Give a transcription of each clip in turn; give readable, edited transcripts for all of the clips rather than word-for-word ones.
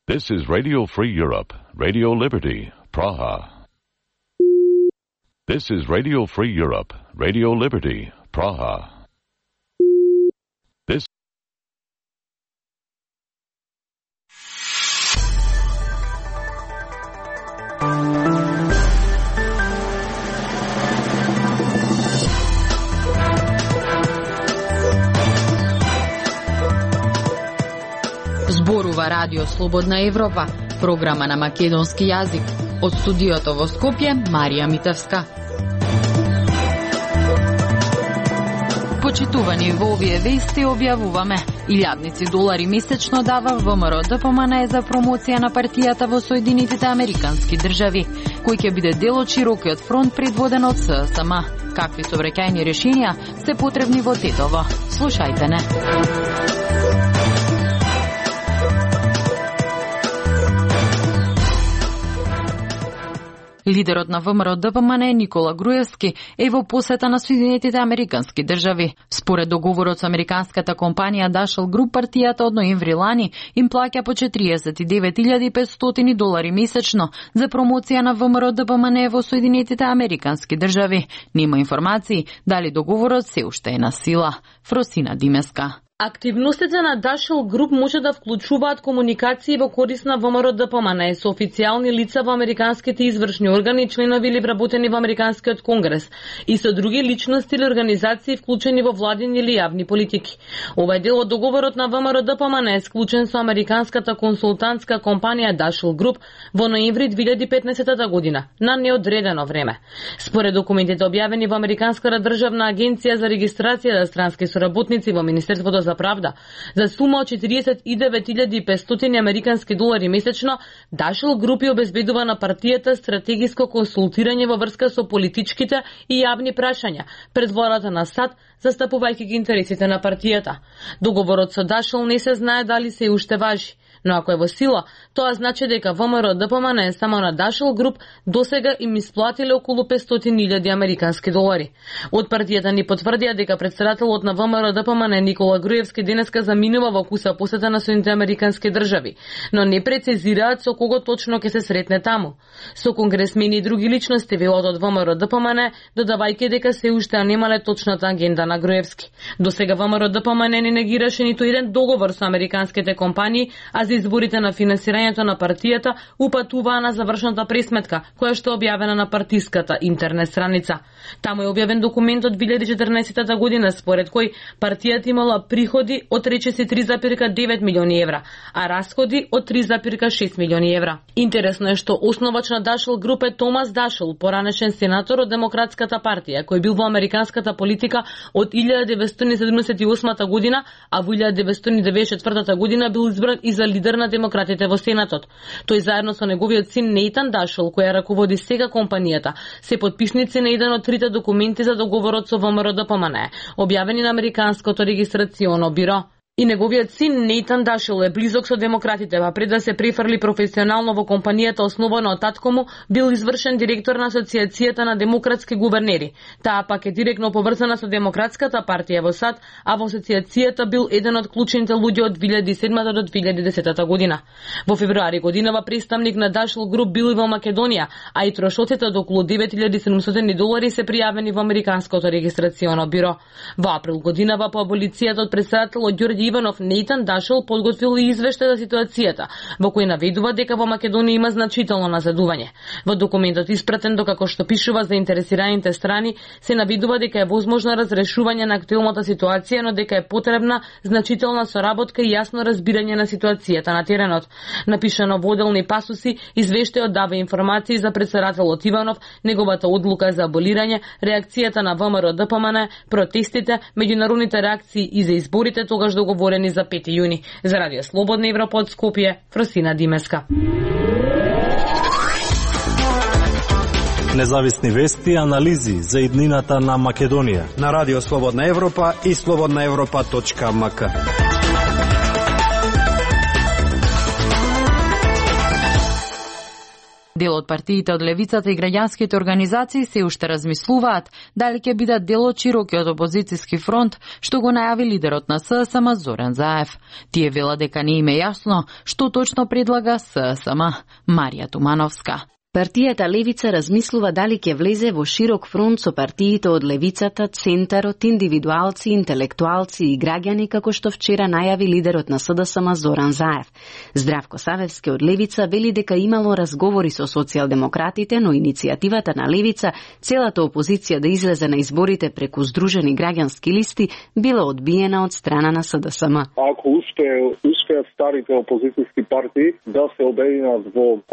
This is Radio Free Europe, Radio Liberty, Praha. This is Radio Free Europe, Radio Liberty, Praha. This Зборува Радио Слободна Европа, програма на македонски јазик. Од студиото во Скопје, Марија Митевска. Почитувани во овие вести објавуваме: $1000 месечно дава ВМРО-ДПМНЕ за промоција на партијата во Соединетите Американски држави, кој ќе биде дел од широкиот фронт предводен од ССМ. Какви сообраќајни решенија се потребни во Тетово? Слушајте не. Лидерот на ВМРО-ДПМНЕ Никола Груевски е во посета на Соединетите Американски држави. Според договорот со американската компанија Dashell Group, партијата од ноември лани им плаќа по $49,500 месечно за промоција на ВМРО-ДПМНЕ во Соединетите Американски држави. Нема информации дали договорот се уште е на сила. Фросина Димеска. Активностите на Dashell Group може да вклучуваат комуникации во корис на ВМРО-ДПМНЕ со официјални лица во американските извршни органи, членови или вработени во Американскиот конгрес и со други личности или организации вклучени во владини или јавни политики. Ова е дел од договорот на ВМРО-ДПМНЕ склучен со американската консултантска компанија Dashell Group во ноември 2015 година на неодредено време. Според документите објавени во Американската државна агенција за регистрација за странски соработници во Министерството за правда, за сума од $49,500 американски долари месечно, Dashell Group обезбедува на партијата стратегиско консултирање во врска со политичките и јавни прашања пред владата на САД, застапувајќи ги интересите на партијата. Договорот со Dashell не се знае дали се уште важи, но ако е во сила, тоа значи дека ВМРО-ДПМНЕ само на Dashell Group досега им исплатиле околу $500,000 американски долари. Од партијата ни потврдија дека претседателот на ВМРО-ДПМНЕ Никола Груевски денеска заминува во куса посета на Соединетите Американски држави, но не прецизираат со кого точно ќе се сретне таму. Со конгресмени и други личности, велат од ВМРО-ДПМНЕ, додавајќи дека се уште немале точната агенда на Груевски. Досега ВМРО-ДПМНЕ не негираше ниту еден договор со американските компании, а за изборите на финансирањето на партијата упатуваа на завршната пресметка, која што е објавена на партиската интернет страница. Таму е објавен документ од 2014 година, според кој партијата имала приходи од речиси 3,9 милиони евра, а расходи од 3,6 милиони евра. Интересно е што основач на Dashell Group е Томас Dashell, поранешен сенатор од Демократската партија, кој бил во американската политика од 1978 година, а во 1994 година бил избран и за лидер на демократите во Сенатот. Тој заедно со неговиот син Нейтан Dashell, која раководи сега компанијата, се потписници на еден од трите документи за договорот со ВМРО-ДПМНЕ, објавени на Американското регистрационо биро. И неговиот син Нейтан Dashell е близок со демократите, па пред да се префрли професионално во компанијата основана од татко му, бил извршен директор на Асоциацијата на демократски гувернери. Таа пак е директно поврзана со Демократската партија во САД, а во Асоциацијата бил еден од клучните луѓе од 2007 до 2010 година. Во февруари годинава представник на Dashell Group бил и во Македонија, а и трошоците од околу $9,700 се пријавени во Американското регистрационо биро. Во април годинава по аболицијата од претседателот Ѓорѓе Иванов, Нейтан Dashell подготвил и извештај за ситуацијата, во кој наведува дека во Македонија има значително назадување. Во документот испратен докако што пишува заинтересираните страни, се наведува дека е возможно разрешување на актуелната ситуација, но дека е потребна значителна соработка и јасно разбирање на ситуацијата на теренот. Напишано во оделни пасуси, извештајот дава информации за претседателот Иванов, неговата одлука за аболирање, реакцијата на ВМРО-ДПМНЕ, протестите, меѓународните реакции и за изборите тогаш договорени за 5 јуни. За Радио Слободна Европа од Скопје, Фросина Димеска. Независни вести и анализи за иднината на Македонија на Радио Слободна Европа и slobodnaevropa.mk. Дел од партиите од левицата и граѓанските организации се уште размислуваат дали ќе бидат дел од широкиот опозицијски фронт, што го најави лидерот на ССМ Зоран Заев. Тие велат дека не им е јасно што точно предлага ССМ. Марија Тумановска. Партијата Левица размислува дали ќе влезе во широк фронт со партиите од левицата, центарот, индивидуалци, интелектуалци и граѓани, како што вчера најави лидерот на СДСМ Зоран Заев. Здравко Савевски од Левица вели дека имало разговори со социјалдемократите, но иницијативата на Левица, целата опозиција да излезе на изборите преку здружени граѓански листи, била одбиена од страна на СДСМ. Ако успеат старите опозицијски партии да се обединат во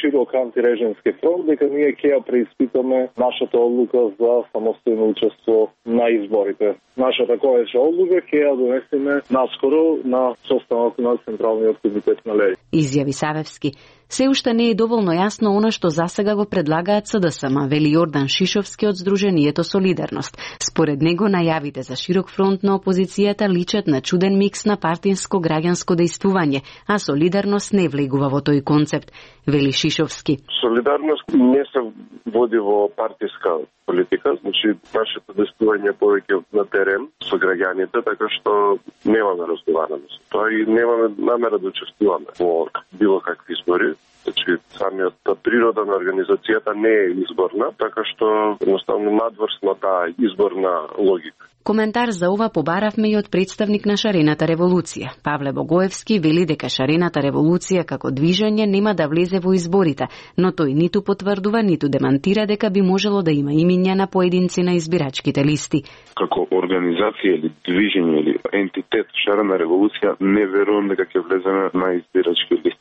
широк антирежим фронт, дека ние ќе ја преиспитаме нашата одлука за самостојно учество на изборите. Нашата која одлука ќе ја донесеме наскоро на состанок на Централниот комитет на Левица. Изјави Савевски. Се уште не е доволно јасно она што засега го предлагаат СДСМ, вели Јордан Шишовски од Сдруженијето Солидарност. Според него најавите за широк фронт на опозицијата личат на чуден микс на партинско-граѓанско дејствување, а Солидарност не влегува во тој концепт, вели Шишовски. Солидарност не се води во партиска политика, значи нашето дејствување повеќе на терен со граѓаните, така што немаме разговарано со тоа и немаме намера да учествуваме во било какви избори. Значи, самијата природа на организацијата не е изборна, така што едноставно надврсно таа изборна логика. Коментар за ова побаравме и од представник на Шарената револуција. Павле Богоевски вели дека Шарената револуција како движење нема да влезе во изборите, но тој ниту потврдува, ниту демантира дека би можело да има имиња на поединци на избирачките листи. Како организација или движење или ентитет Шарена револуција не верувам дека ќе влеземе на избирачки листи.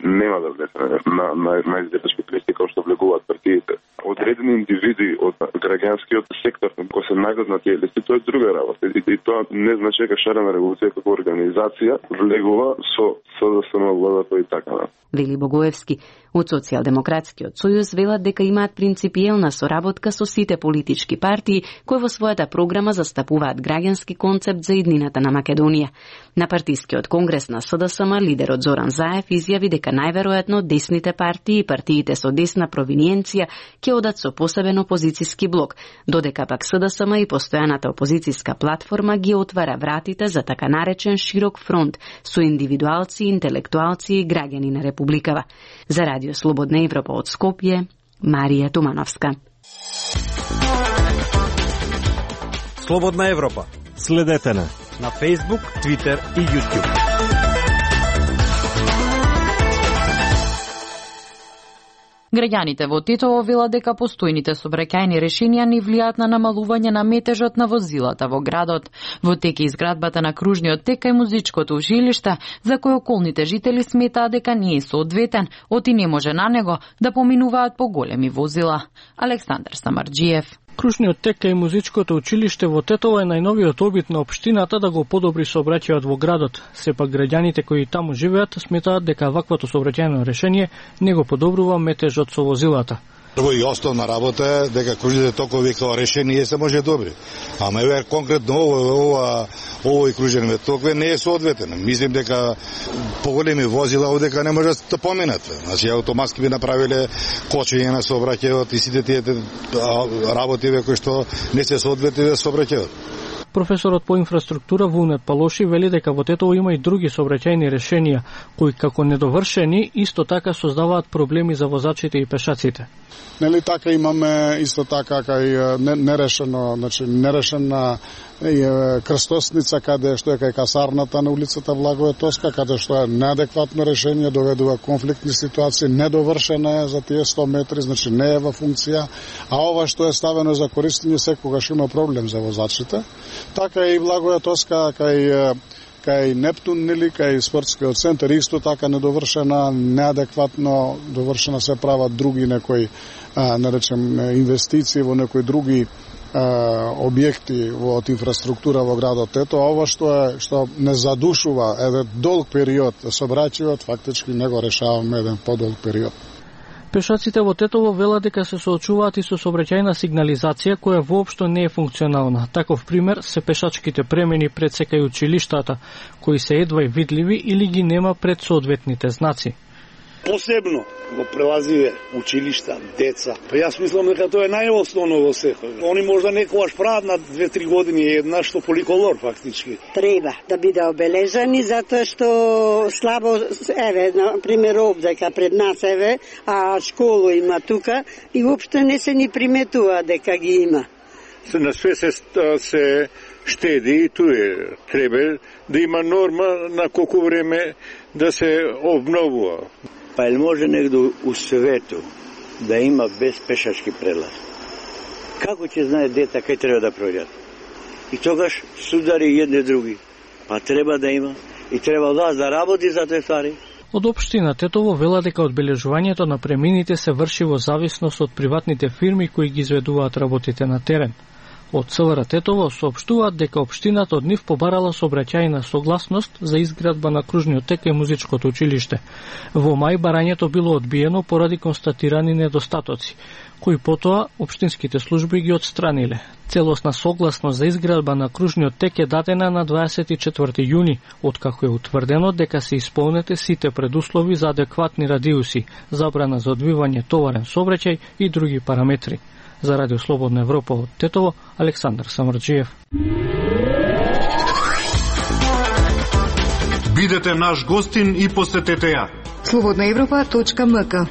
Нема да влеземе на избирачки листи како што влегуваат партиите. Одредени индивиди од граѓанскиот сектор кои се најдат на тие листи, тоа е друга работа. И тоа не значи дека Шарена револуција како организација влегува со СДСМ владата и така. Вели Богоевски. Од Социјалдемократскиот сојуз велат дека имаат принципиелна соработка со сите политички партии кои во својата програма застапуваат граѓански концепт за иднината на Македонија. На партискиот конгрес на СДСМ лидерот Зоран Заев изјави дека најверојатно десните партии и партиите со десна провиниенција ќе одат со посебен опозицијски блок, додека пак СДСМ и постојаната опозицијска платформа ги отвара вратите за така наречен широк фронт со индивидуалци, интелектуалци и граѓани на републикава. За Радио Слободна Европа од Скопје, Марија Тумановска. Слободна Европа. Следете на Facebook, Twitter и YouTube. Граѓаните во Тетово велат дека постојните сообраќајни решенија не влијаат на намалување на метежот на возилата во градот. Во тек е изградбата на кружниот тек и музичкото училиште, за кој околните жители сметаат дека не е соодветен, оти не може на него да поминуваат по големи возила. Александар Самарџиев. Кружниот тек и музичкото училиште во Тетово е најновиот обид на општината да го подобри сообраќајот во градот. Сепак граѓаните кои таму живеат сметаат дека ваквото сообраќајно решение не го подобрува метежот со возилата. Прво и основна работа е дека кружните токови као решение се може добри. Ама еве конкретно овој кружен ток не е соодветен. Мислим дека поголеми возила одека не може да поминат. Значи автоматски би направиле кочење на сообраќајот и сите тие работи кои што не се соодветни со сообраќајот. Професорот по инфраструктура Вунет Палоши вели дека во Тетово има и други сообраќајни решенија кои како недовршени исто така создаваат проблеми за возачите и пешаците. Нели така имаме исто така кај нерешена крстосница каде што е кај касарната на улицата Влагове Тоска, каде што е неадекватно решение, доведува конфликтни ситуации, недовршена е за тие 100 метри, значи не е во функција, а ова што е ставено за користење секогаш има проблем за возачите. Така и Влагове Тоска кај Нептун, нели, кај спортскиот центар, исто така недовршена, неадекватно довршена, се прават други некои, наречем, инвестиции во некои други објекти од инфраструктура во градот Тетово. Ова што не задушува еден долг период сообраќајот, фактички не го решаваме еден подолг период. Пешаците во Тетово велат дека се соочуваат и со сообраќајна сигнализација која воопшто не е функционална. Таков пример се пешачките премени пред секај училиштата, кои се едва видливи или ги нема пред соодветните знаци. Посебно го прелазиве училишта, деца. Па јас мислам дека тоа е најосновно во секој. Они можда некогаш прават на 2-3 години една што поликолор фактички. Треба да биде обележани затоа што слабо на пример овдека пред нас а школа има тука и воопшто не се ни приметува дека ги има. На све се штеди и туе треба да има норма на колку време да се обновува. Па или може негде у свету да има без пешачки прелаз? Како ќе знае дете кај треба да пројдат? И тогаш судари едни други. Па треба да има и треба да работи за тој ствари. Од општина Тетово вела дека одбележувањето на премините се врши во зависност од приватните фирми кои ги изведуваат работите на терен. Од СВР Тетово соопштуваат дека општината од нив побарала сообраќајна согласност за изградба на кружниот тек и музичкото училиште. Во мај барањето било одбиено поради констатирани недостатоци, кои потоа општинските служби ги отстраниле. Целосна согласност за изградба на кружниот тек е дадена на 24 јуни, откако е утврдено дека се исполнете сите предуслови за адекватни радиуси, забрана за одвивање товарен сообраќај и други параметри. За Радио Слободна Европа од Тетово, Александар Самарджиев. Бидете наш гостин и посетете ја. slobodnaevropa.mk.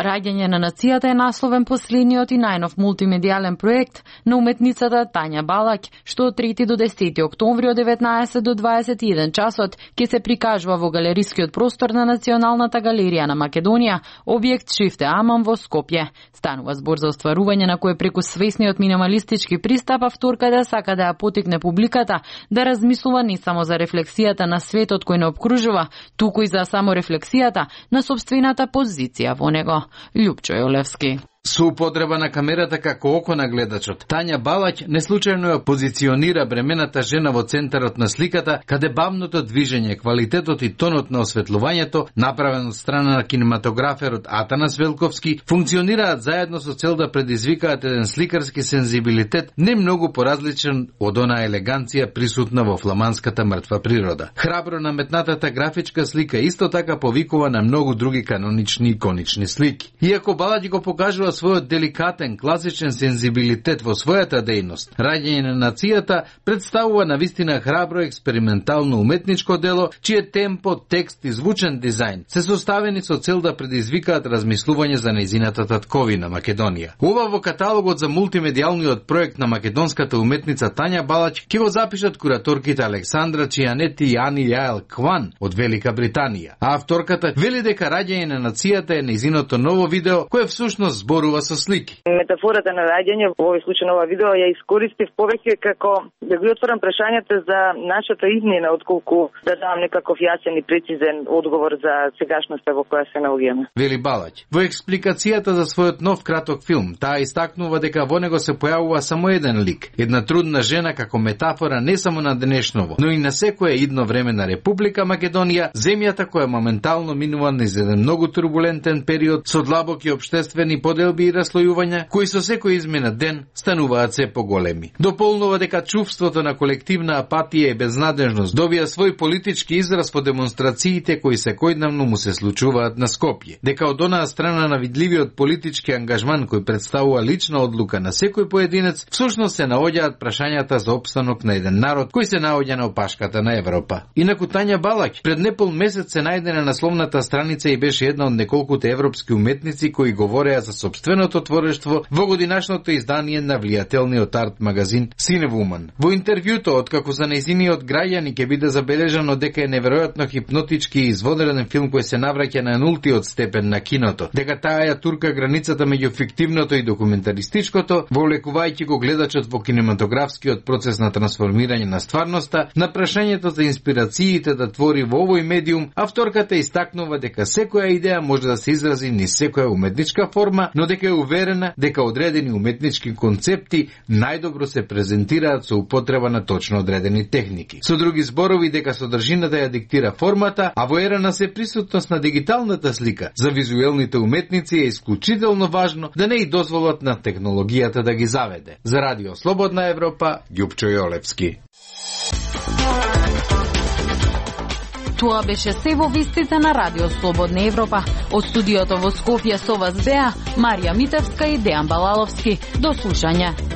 Раѓање на нацијата е насловен последниот и најнов мултимедијален проект на уметницата Тања Балаќ, што од 3 до 10 октомври од 19 до 21 часот ќе се прикажува во галерискиот простор на Националната галерија на Македонија, објект Шифте Аман во Скопје. Станува збор за остварување на кој преку свесниот минималистички пристап авторка да сака да ја потикне публиката да размислува не само за рефлексијата на светот кој не обкружува, туку и за саморефлексијата на сопствената позиција во него. Љупчо Јолевски. Со употреба на камерата како око на гледачот, Тања Балаќ неслучајно ја позиционира бремената жена во центарот на сликата, каде бавното движење, квалитетот и тонот на осветлувањето, направен од страна на кинематограферот Атанас Велковски, функционираат заедно со цел да предизвикаат еден сликарски сензибилитет не многу поразличен од онаа елеганција присутна во фламандската мртва природа. Храбро наметнатата графичка слика исто така повикува на многу други канонични иконични слики. Иако Балаќ го покажува својот деликатен, класичен сензибилитет во својата дејност, Раѓање на нацијата представува навистина храбро експериментално уметничко дело, чие темпо, текст и звучен дизајн се составени со цел да предизвикаат размислување за нејзината татковина Македонија. Ова во каталогот за мултимедијалниот проект на македонската уметница Тања Балаќ ќе го запишат кураторките Александра Чијанети и Ани Јаел Кван од Велика Британија. А авторката вели дека Раѓање на нацијата е нејзиното ново видео кое всушност зборува со слики. Метафората на раѓање во овој случај на ова видео ја искористив повеќе како да ги отворам прашањата за нашата иднина, отколку да дадам некаков јасен и прецизен одговор за сегашноста во која се наоѓаме. Вели Балаќ. Во експликацијата за својот нов краток филм, таа истакнува дека во него се појавува само еден лик, една трудна жена како метафора не само на денешново, но и на секое идно време на Република Македонија, земјата која моментално минува низ еден многу турбулентен период со длабоки општествени поделби и раслојувања, кои со секој изминат ден стануваат се поголеми. Дополнува дека чувството на колективна апатија и безнадежност добија свој политички израз по демонстрациите кои секојдневно му се случуваат на Скопје. Дека од онаа страна на видливиот политички ангажман кој представува лична одлука на секој поединец, всушност се наоѓаат прашањата за опстанок на еден народ кој се наоѓа на опашката на Европа. Инаку Тања Балаќ пред непол месец се најде на насловната страница и беше една од неколкуте европски уметници кои говореа за сопственото творештво во годинашното издание на влијателниот арт магазин Cinewoman. Во интервјуто, откако за нејзиниот граѓани ќе биде забележано дека е неверојатно хипнотички и извонреден филм кој се навраќа на нултиот степен на киното, дека таа ја турка границата меѓу фиктивното и документаристичкото, вовлекувајќи го гледачот во кинематографскиот процес на трансформирање на стварноста, на прашањето за инспирациите да твори во овој медиум, авторката истакнува дека секоја идеја може да се изрази низ секоја уметничка форма, но дека е уверена дека одредени уметнички концепти најдобро се презентираат со употреба на точно одредени техники. Со други зборови, дека содржината ја диктира формата, а во ера на се присутност на дигиталната слика, за визуелните уметници е исклучително важно да не и дозволат на технологијата да ги заведе. За Радио Слободна Европа, Ѓупчо Јолевски. Тоа беше се во вестите на Радио Слободна Европа. Од студиото во Скопје со вас беа Марија Митевска и Дејан Балаловски. До слушање.